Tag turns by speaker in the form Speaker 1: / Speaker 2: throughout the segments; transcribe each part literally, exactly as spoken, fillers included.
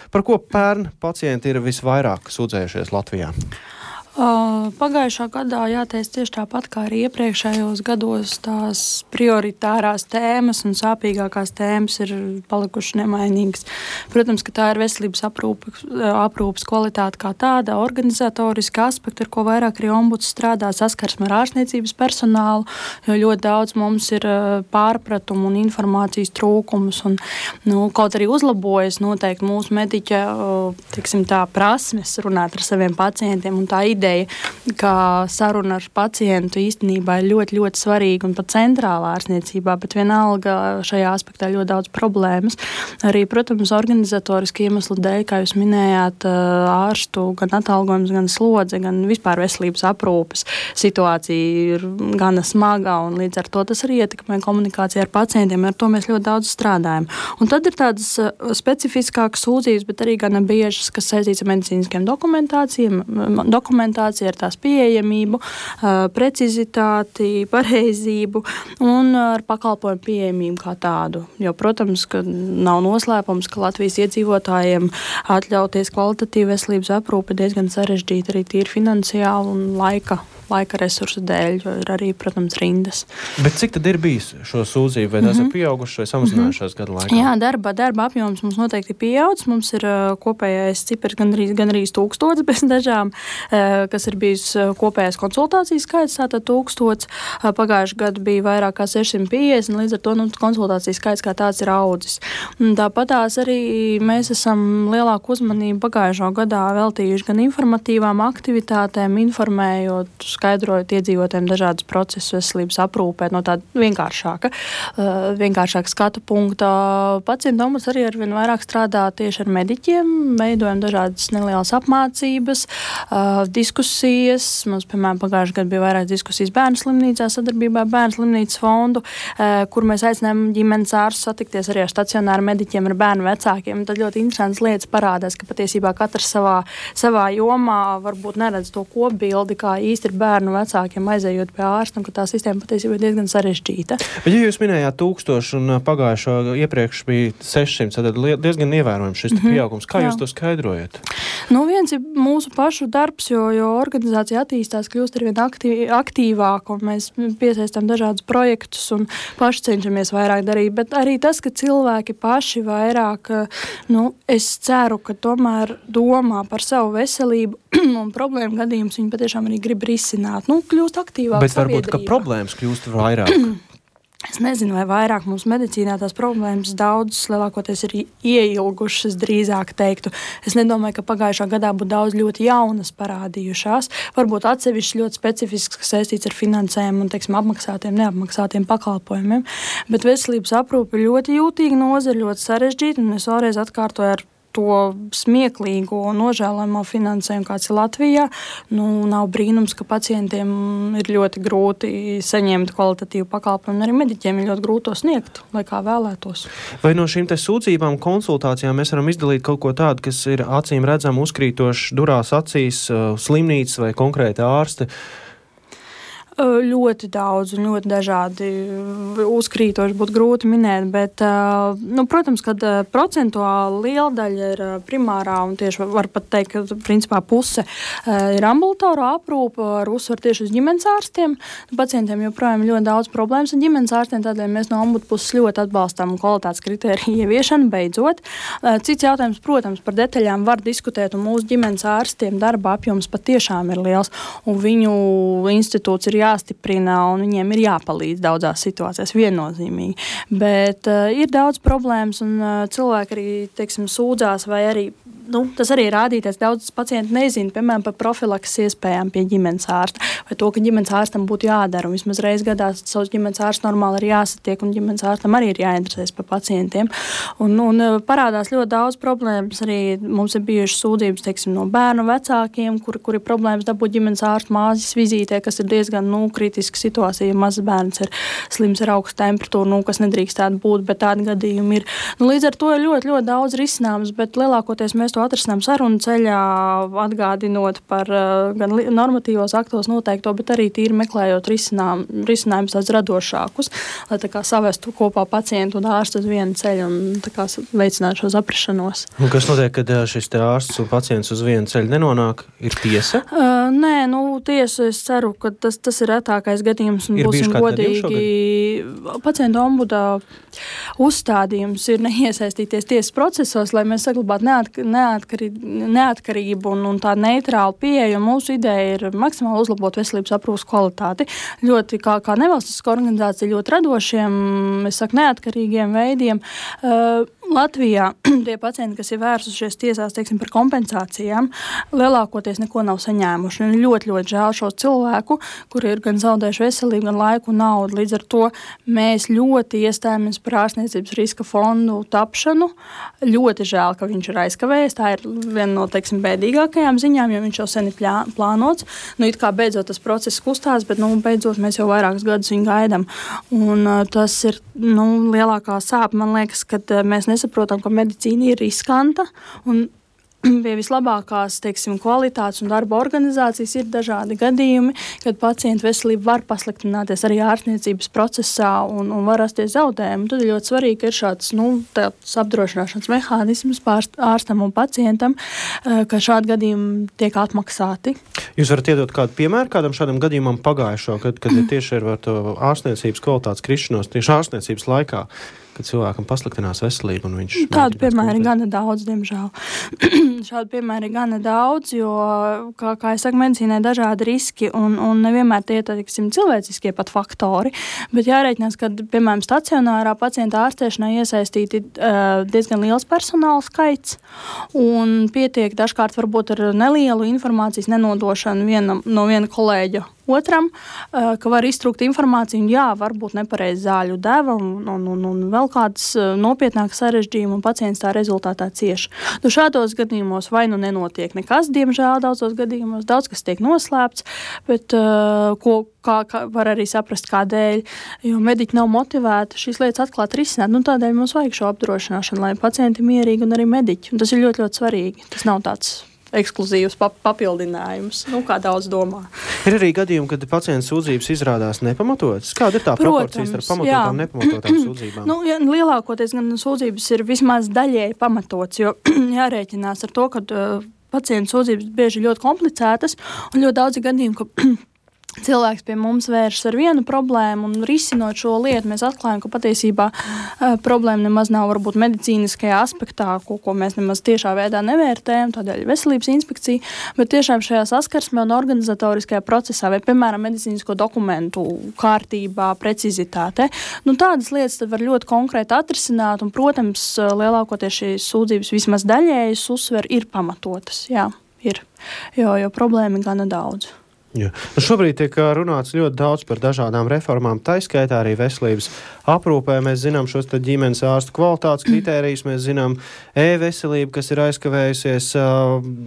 Speaker 1: Par ko pērn pacienti ir visvairāk sūdzējušies Latvijā?
Speaker 2: Uh, pagājušā gadā jāteic tieši tāpat kā arī iepriekšējos gados tās prioritārās tēmas un sāpīgākās tēmas ir palikušas nemainīgas. Protams, ka tā ir veselības aprūpes, aprūpes kvalitāte kā tāda, organizatoriska aspekta, ar ko vairāk arī ombuds strādā, saskarsme ar ārstniecības personālu, jo ļoti daudz mums ir pārpratumu un informācijas trūkums un, nu, kaut arī uzlabojas noteikti mūsu mediķa, tiksim tā, prasmes runāt ar saviem pacientiem un tā ideja, ka saruna ar pacientu īstenībā ir ļoti, ļoti svarīga un pat centrālā ārstniecībā, bet vienalga šajā aspektā ļoti daudz problēmas. Arī, protams, organizatoriski iemeslu dēļ, kā jūs minējāt, ārstu gan atalgojums, gan slodze, gan vispār veselības aprūpes situācija ir gana smaga un līdz ar to tas arī ietekmē komunikāciju ar pacientiem, ar to mēs ļoti daudz strādājam. Un tad ir tādas specifiskākas sūdzības, bet arī gana biežas, kas saistīts ar medicīniskiem dokumentācijām, dokumentācijām, ar tās pieejamību, precizitāti, pareizību un ar pakalpojumu pieejamību kā tādu. Jo, protams, ka nav noslēpums, ka Latvijas iedzīvotājiem atļauties kvalitatīvu veselības aprūpi diezgan sarežģīti arī tīri finansiāli un laika, laika resursu dēļ, jo ir arī, protams, rindas.
Speaker 1: Bet cik tad ir bijis šo sūdzību? Vai tās mm-hmm. ir pieaugušas vai samazinājušās mm-hmm. gadu laikā?
Speaker 2: Jā, darba, darba apjoms mums noteikti pieaudzis. Mums ir kopējais cipars gandrīz, gandrīz tūkstots bez dažām, kas ir bijis kopējais konsultācijas skaits, tātad tūkstots. Pagājuši gadu bija vairāk kā sešsimt piecdesmit, līdz ar to nu, konsultācijas skaits kā tāds ir audzis. Tāpat tās arī mēs esam lielāku uzmanību pagājušo gadā veltījuši gan informatīvām aktivitātēm, informējot, skaidrojot iedzīvotājiem dažādas procesus veselības aprūpē no tāda vienkāršāka, vienkāršāka skatu punkta. Pacientu ombuds arī arvien vairāk strādā tieši ar mediķiem, veidojam dažādas nelielas apmācības, diskusijas. Mums, piemēram, pagājušajā gadā bija vairāk diskusijas bērnu slimnīcā sadarbībā ar Bērnu slimnīcas fondu, kur mēs aicinājām ģimenes ārstus satikties arī ar stacionāru mediķiem, ar bērnu vecākiem. Tad ļoti interesants lietas parādās, ka patiesībā katrs savā, savā jomā varbūt neredz to kopbildi, kā īsti ir bērnu vecākiem aizējot pie ārsta, un ka tā sistēma patiesībā ir diezgan sarežģīta.
Speaker 1: Bet ja jūs minējāt tūkstoši un pagājušo iepriekš bija sešsimt, tad diezgan ievērojams šis mm-hmm. pieaugums. Kā Jā. Jūs to skaidrojat?
Speaker 2: Nu, viens ir mūsu pašu darbs, jo, jo organizācija attīstās, kļūst arvien aktīv, aktīvāk, un mēs piesaistām dažādus projektus un paši cenšamies vairāk darīt, bet arī tas, ka cilvēki paši vairāk, nu, es ceru, ka tomēr domā par savu veselību un problēmu gadījumus viņi patiešām arī grib risināt. Nu, kļūst aktīvāk
Speaker 1: bet varbūt, ka problēmas kļūst vairāk.
Speaker 2: Es nezinu, vai vairāk mums medicīnā tās problēmas daudzas lielākoties ir ieilgušas, drīzāk teiktu. Es nedomāju, ka pagājušā gadā būtu daudz ļoti jaunas parādījušās. Varbūt atsevišķi ļoti specifisks, kas saistīts ar finansējumu un, teiksim, apmaksātiem, neapmaksātiem pakalpojumiem. Bet veselības aprūpe ļoti jūtīga nozara, ļoti sarežģīta, un es vēlreiz atkārtoju ar to smieklīgo un nožēlojamo finansējumu, kāds ir Latvijā. Nu, nav brīnums, ka pacientiem ir ļoti grūti saņemt kvalitatīvu pakalpojumu, un arī mediķiem ir ļoti grūti to sniegt, lai kā vēlētos.
Speaker 1: Vai no šīm te sūdzībām, konsultācijām mēs varam izdalīt kaut ko tādu, kas ir acīm redzam uzkrītoši durās acīs, slimnīcas vai konkrēti ārsti?
Speaker 2: Ļoti daudz un ļoti dažādi uzkrītoši būtu grūti minēt, bet, nu, protams, kad procentuāli liela daļa ir primārā un tieši var pat teikt, ka principā puse ir ambulatorā aprūpe ar uzsvaru tieši uz ģimenes ārstiem. Pacientiem joprojām ļoti daudz problēmas ar ģimenes ārstiem, tādēļ mēs no ombudu puses ļoti atbalstām kvalitātes kritēriju ieviešanu beidzot. Cits jautājums, protams, par detaļām var diskutēt, un mūsu ģimenes ārstiem darba apjoms patiešām ir liels, un viņu institūts ir jā jāstiprina un viņiem ir jāpalīdz daudzās situācijās viennozīmīgi. Bet uh, ir daudz problēmas un uh, cilvēki arī, teiksim, sūdzās vai arī, nu, tas arī ir rādīties, daudz pacienti nezina, piemēram, par profilakses iespējām pie ģimenes ārsta vai to, ka ģimenes ārstam būtu jādara un vismaz reiz gadā savus ģimenes ārstu normāli ir jāsatiek un ģimenes ārstam arī ir jāinteresēs par pacientiem. Un, un parādās ļoti daudz problēmas, arī mums ir bijušas sūdzības, teiksim, no bērnu vecākiem, kur, kur ir problēmas dabūt ģimenes ārstu māzes vizītē, kas ir diezgan, nu, kritiska situācija, ja mazs bērns ir slims ar augstu temperatūru, nu, kas nedrīkstētu būt, bet tādi gadījumi ir. Nu, līdz ar to ir ļoti, ļoti daudz risināms, bet lielākoties mēs to to atrisinām sarunu ceļā, atgādinot par gan normatīvos aktos noteikto, bet arī tīri meklējot risinām, risinājumus tādus radošākus, lai tā kā savestu kopā pacientu un ārstu uz vienu ceļu un tā kā veicinātu šo saprašanos.
Speaker 1: Un kas notiek, kad šis te ārsts un pacients uz vienu ceļu nenonāk? Ir tiesa?
Speaker 2: Uh, nē, nu tiesa, es ceru, ka tas, tas ir retākais gadījums un
Speaker 1: ir
Speaker 2: būsim godīgi. Pacientu ombuda uzstādījums ir neiesaistīties tiesas procesos, lai mēs saglabātu neatk neatkarī neatkarību un, un tādu neitrālu pieeju. Mūsu ideja ir maksimāli uzlabot veselības aprūpas kvalitāti. Ļoti kā, kā nevalstiska organizācija, ļoti radošiem, es saku, neatkarīgiem veidiem. Uh, Latvijā tie pacienti, kas ir vērsušies tiesās, teiksim, par kompensācijām, lielākoties neko nav saņēmuši. Un ļoti, ļoti žēl šo cilvēku, kuri ir gan zaudējuši veselību, gan laiku un naudu. Līdz ar to mēs ļoti iestājamies par ārstniecības riska fondu tapšanu. Ļoti žēl, ka viņš ir aizkavējies. Tā ir viena no, teiksim, bēdīgākajām ziņām, jo viņš jau sen ir plānots. Nu, it kā beidzot tas process kustās, bet, nu, beidzot mēs jau vairākus gadus viņu gaidām. Un uh, tas ir, nu, lielākā sāpe, man liekas, kad uh, mēs nesaprotam, ka medicīna ir riskanta un pie vislabākās, teiksim, kvalitātes un darba organizācijas ir dažādi gadījumi, kad pacientu veselība var pasliktināties arī ārstniecības procesā un, un var rasties zaudējumi. Tad ir ļoti svarīgi, ka ir šāds, nu, tāds apdrošināšanas mehānisms ārstam un pacientam, ka šādi gadījumi tiek atmaksāti.
Speaker 1: Jūs varat iedot kādu piemēru kādam šādam gadījumam pagājušo, kad, kad tieši ir var to ārstniecības kvalitātes krišanos tieši ārstniecības laikā, kad cilvēkam pasliktinās veselību un viņš...
Speaker 2: Tādu piemēru ir gana daudz, diemžēl. Šādu piemēru ir gana daudz, jo, kā, kā es saku, medicīnai dažādi riski un, un nevienmēr tie, teiksim, cilvēciskie pat faktori, bet jārēķinās, ka, piemēram, stacionārā pacienta ārstēšanā iesaistīti uh, diezgan liels personāla skaits un pietiek dažkārt varbūt ar nelielu informācijas nenodošanu vienam, no viena kolēģa otram, ka var iztrūkt informāciju, un jā, varbūt nepareiz zāļu deva un, un, un, un vēl kādas nopietnākas sarežģījumi, un pacients tā rezultātā cieš. Nu, šādos gadījumos vai nu nenotiek nekas, diemžēl daudzos gadījumos, daudz kas tiek noslēpts, bet uh, ko, kā, kā var arī saprast, kādēļ, jo mediķi nav motivēti šīs lietas atklāt risināt. Nu, tādēļ mums vajag šo apdrošināšanu, lai pacienti mierīgi un arī mediķi. Un tas ir ļoti, ļoti svarīgi. Tas nav tāds ekskluzīvs pap papildinājums, nu, kā daudz domā.
Speaker 1: Ir arī gadījumi, kad pacienta sūdzības izrādās nepamatotas. Kāda ir tā proporcija starp pamatotām un nepamatotām sūdzībām?
Speaker 2: Nu, ja, lielākoties gan sūdzības ir vismaz daļēji pamatots, jo jārēķinās ar to, ka uh, pacienta sūdzības bieži ļoti komplicētas un ļoti daudzi gadījumi, ka cilvēks pie mums vēršas ar vienu problēmu un risinot šo lietu, mēs atklājam, ka patiesībā uh, problēma nemaz nav varbūt medicīniskajā aspektā, ko, ko mēs nemaz tiešā veidā nevērtējam, tādēļ veselības inspekcija, bet tiešām šajā saskarsmē un organizatoriskajā procesā vai, piemēram, medicīnisko dokumentu kārtībā, precizitāte. Nu, tādas lietas tad var ļoti konkrēti atrisināt un, protams, lielākoties šīs sūdzības vismaz daļējas uzsver ir pamatotas. Jā, ir, jo, jo problēma ir gana daudz.
Speaker 1: Jā. Nu, šobrīd tiek runāts ļoti daudz par dažādām reformām, taiskaitā arī veselības aprūpē. Mēs zinām šos te ģimenes ārstu kvalitātes kritērijus, mēs zinām e-veselību, kas ir aizkavējusies,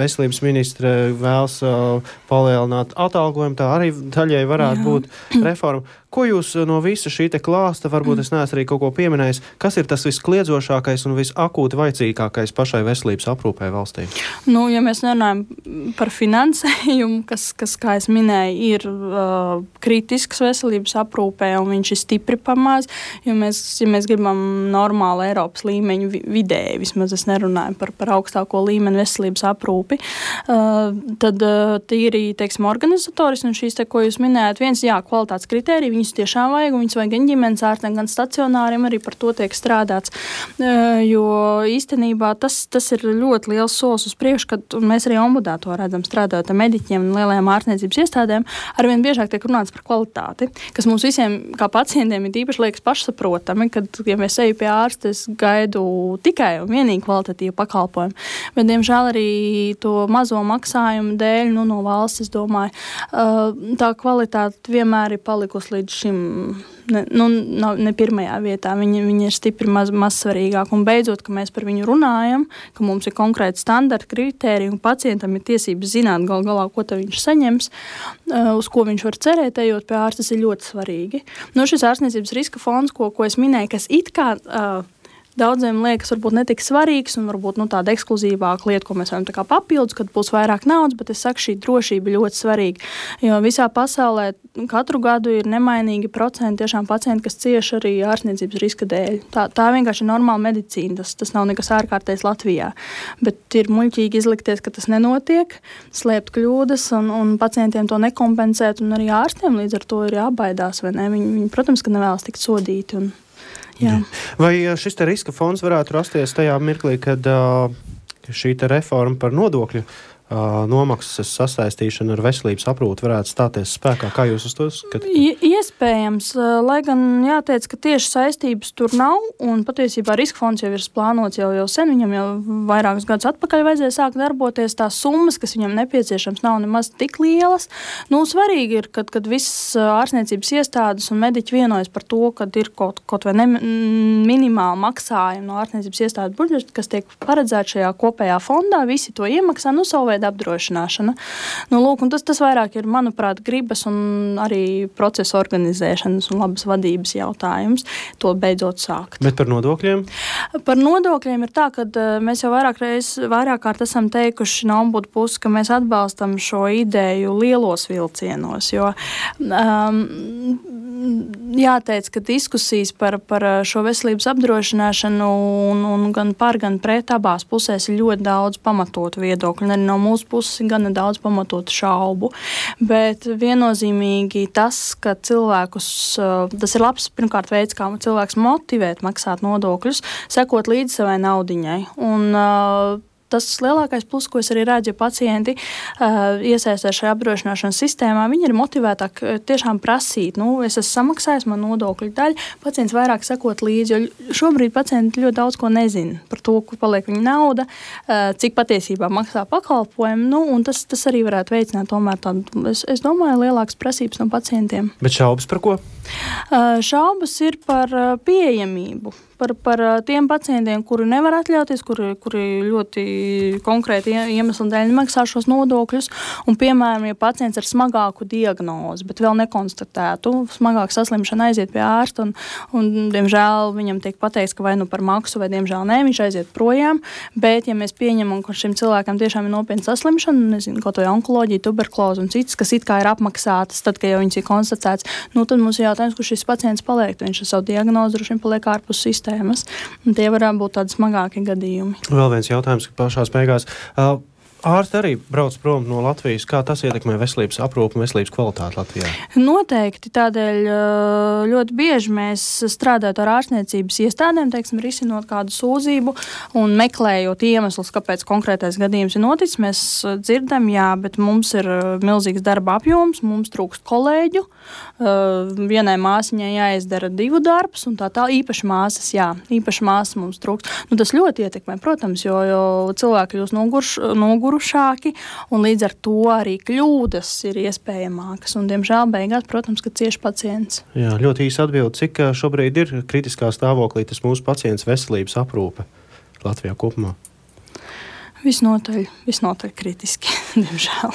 Speaker 1: veselības ministre vēlas palielināt atalgojumu, tā arī daļai varētu Jā. būt reforma. Ko jūs no visa šī te klāsta, varbūt es neesmu arī kaut ko pieminējis, kas ir tas viskliedzošākais un visakūti vajadzīgākais pašai veselības aprūpē valstī?
Speaker 2: Nu, ja mēs nerunājam par finansējumu, kas, kas kā es minēju, ir uh, kritisks veselības aprūpē un viņš ir stipri pamaz, jo mēs, ja mēs gribam normālu Eiropas līmeņu vidēji, vismaz es nerunāju par, par augstāko līmeni veselības aprūpi, uh, tad uh, tīri, teiksim, organizatoris un šīs te, ko jūs minējat, viens, jā, kvalitātes kritērija, viņus tiešām vajag, un viņus vajag gan ģimenes ārstiem, gan stacionāriem, arī par to tiek strādāts. Jo īstenībā tas, tas ir ļoti liels solis uz priekšu, kad mēs arī ombudā to redzam, strādājot ar mediķiem un lielajām ārstniecības iestādēm, arvien biežāk tiek runāts par kvalitāti, kas mums visiem, kā pacientiem, ir īpaši liekas pašsaprotami, kad, ja mēs eju pie ārsta, es gaidu tikai un vienīgi kvalitatīvu pakalpojumu. Bet, diemžēl, arī to mazo maksājumu dēļ, nu, no valsts, es domāju, tā kvalitāte vienmēr ir palikusi līdz šim ne, nu, nav, ne pirmajā vietā. Viņa, viņa ir stipri maz, maz svarīgāka. Un beidzot, ka mēs par viņu runājam, ka mums ir konkrēti standarti, kritēriji, un pacientam ir tiesības zināt gal galā, ko viņš saņems, uz ko viņš var cerēt, ejot pie ārsta, tas ir ļoti svarīgi. Nu, šis ārstniecības riska fonds, ko, ko es minēju, kas it kā uh, daudziem liekas varbūt netik svarīgs un varbūt nu, tāda ekskluzīvāka lieta, ko mēs varam tā kā papildus, kad būs vairāk naudas, bet es saku, šī drošība ir ļoti svarīga, jo visā pasaulē katru gadu ir nemainīgi procenti tiešām pacienti, kas cieš arī ārstniecības riska dēļ. Tā, tā vienkārši ir normāla medicīna, tas, tas nav nekas ārkārtējs Latvijā, bet ir muļķīgi izlikties, ka tas nenotiek, slēpt kļūdas un, un pacientiem to nekompensēt, un arī ārstiem līdz ar to ir jābaidās, vai ne? Viņi, viņi protams, ka nevēlas tikt sodīti. Un, jā.
Speaker 1: Vai šis te riska fonds varētu rasties tajā mirklī, kad uh, šī te reforma par nodokļu uh, nomaksas sasaistīšana ar veselības aprūpi varētu stāties spēkā? Kā jūs uz to skatāt?
Speaker 2: Iespējams, lai gan jāteic, ka tieši saistības tur nav, un patiesībā riska fonds jau ir plānots jau, jau sen, viņam jau vairākus gadus atpakaļ vajadzēja sākt darboties, tās summas, kas viņam nepieciešams, nav nemaz tik lielas. Nu, svarīgi ir, kad, kad visas ārstniecības iestādes un mediķi vienojas par to, kad ir kaut, kaut vai ne, minimāli maksājumi no ārstniecības iestādes budžeta, kas tiek paredzēti šajā kopējā fondā, visi to iemaksā, nu, savu veidu apdrošināšana. Nu, lūk, un tas, tas vairāk ir, manuprāt, gribas un arī procesa organizēšanas un labas vadības jautājums, to beidzot sākt.
Speaker 1: Bet par nodokļiem?
Speaker 2: Par nodokļiem ir tā, ka mēs jau vairāk reiz, vairāk kārt esam teikuši no ombudu puses, ka mēs atbalstam šo ideju lielos vilcienos, jo um, jāteic, ka diskusijas par, par šo veselības apdrošināšanu un, un gan par, gan pret abās pusēs ir ļoti daudz pamatotu viedokļu, un arī no mūsu puses ir gana daudz pamatotu šaubu, bet viennozīmīgi tas, ka cilvēkus, tas ir labs pirmkārt veids, kā cilvēks motivēt maksāt nodokļus, sekot līdz savai naudiņai. Un tas lielākais plus, ko es arī redzu, ja pacienti uh, iesaistās šajā apdrošināšanas sistēmā, viņi ir motivētāk tiešām prasīt, nu, es esmu samaksājis man nodokļu daļu, pacients vairāk sekot līdzi, jo šobrīd pacienti ļoti daudz ko nezina par to, kur paliek viņa nauda, uh, cik patiesībā maksā pakalpojumu, nu, un tas, tas arī varētu veicināt tomēr tādu, es, es domāju, lielākas prasības no pacientiem.
Speaker 1: Bet šaubas par ko?
Speaker 2: Uh, šaubas ir par uh, pieejamību. Par, par tiem pacientiem, kuri nevar atļauties, kuri, kuri ļoti konkrēti iemesli dēļ nemaksā šos nodokļus. Un, piemēram, ja pacients ar smagāku diagnozi, bet vēl nekonstatētu, smagāku saslimšanu aiziet pie ārsta, un, un, diemžēl, viņam tiek pateikts, ka vai nu par maksu, vai, diemžēl, nē, viņš aiziet projām. Bet, ja mēs pieņemam, ka šim cilvēkam tiešām ir nopietna saslimšana, nezinu, kaut vai onkoloģija, tuberkuloze un citas, kas it kā ir apmaksātas, tad, kad jau viņas ir konstatēts, nu, tad mums ir jautājums, kur šis pacients paliek. Viņš ar savu diagnozi droši vien paliek ārpus sistēmas. Un tie varētu būt tādi smagāki gadījumi.
Speaker 1: Vēl viens jautājums, ka pašās beigās. Uh, ārsti arī brauc prom no Latvijas. Kā tas ietekmē veselības aprūpi un veselības kvalitāti Latvijā?
Speaker 2: Noteikti. Tādēļ ļoti bieži mēs strādājot ar ārstniecības iestādēm, teiksim, risinot kādu sūdzību un meklējot iemeslus, kāpēc konkrētais gadījums ir noticis, mēs dzirdam, jā, bet mums ir milzīgs darba apjoms, mums trūkst kolēģu, vienai māsiņai jāizdara divu darbus, un tā tā īpaši māsas, jā, īpaši māsas mums trūkst. Nu, tas ļoti ietekmē, protams, jo, jo cilvēki kļūst nogurš, nogurušāki, un līdz ar to arī kļūdas ir iespējamākas, un, diemžēl, beigās, protams, ka cieši pacients.
Speaker 1: Jā, ļoti īsi atbildi, cik šobrīd ir kritiskā stāvoklī tas mūsu pacients veselības aprūpe Latvijā kopumā?
Speaker 2: Visnotaļ, visnotaļ kritiski, diemžēl.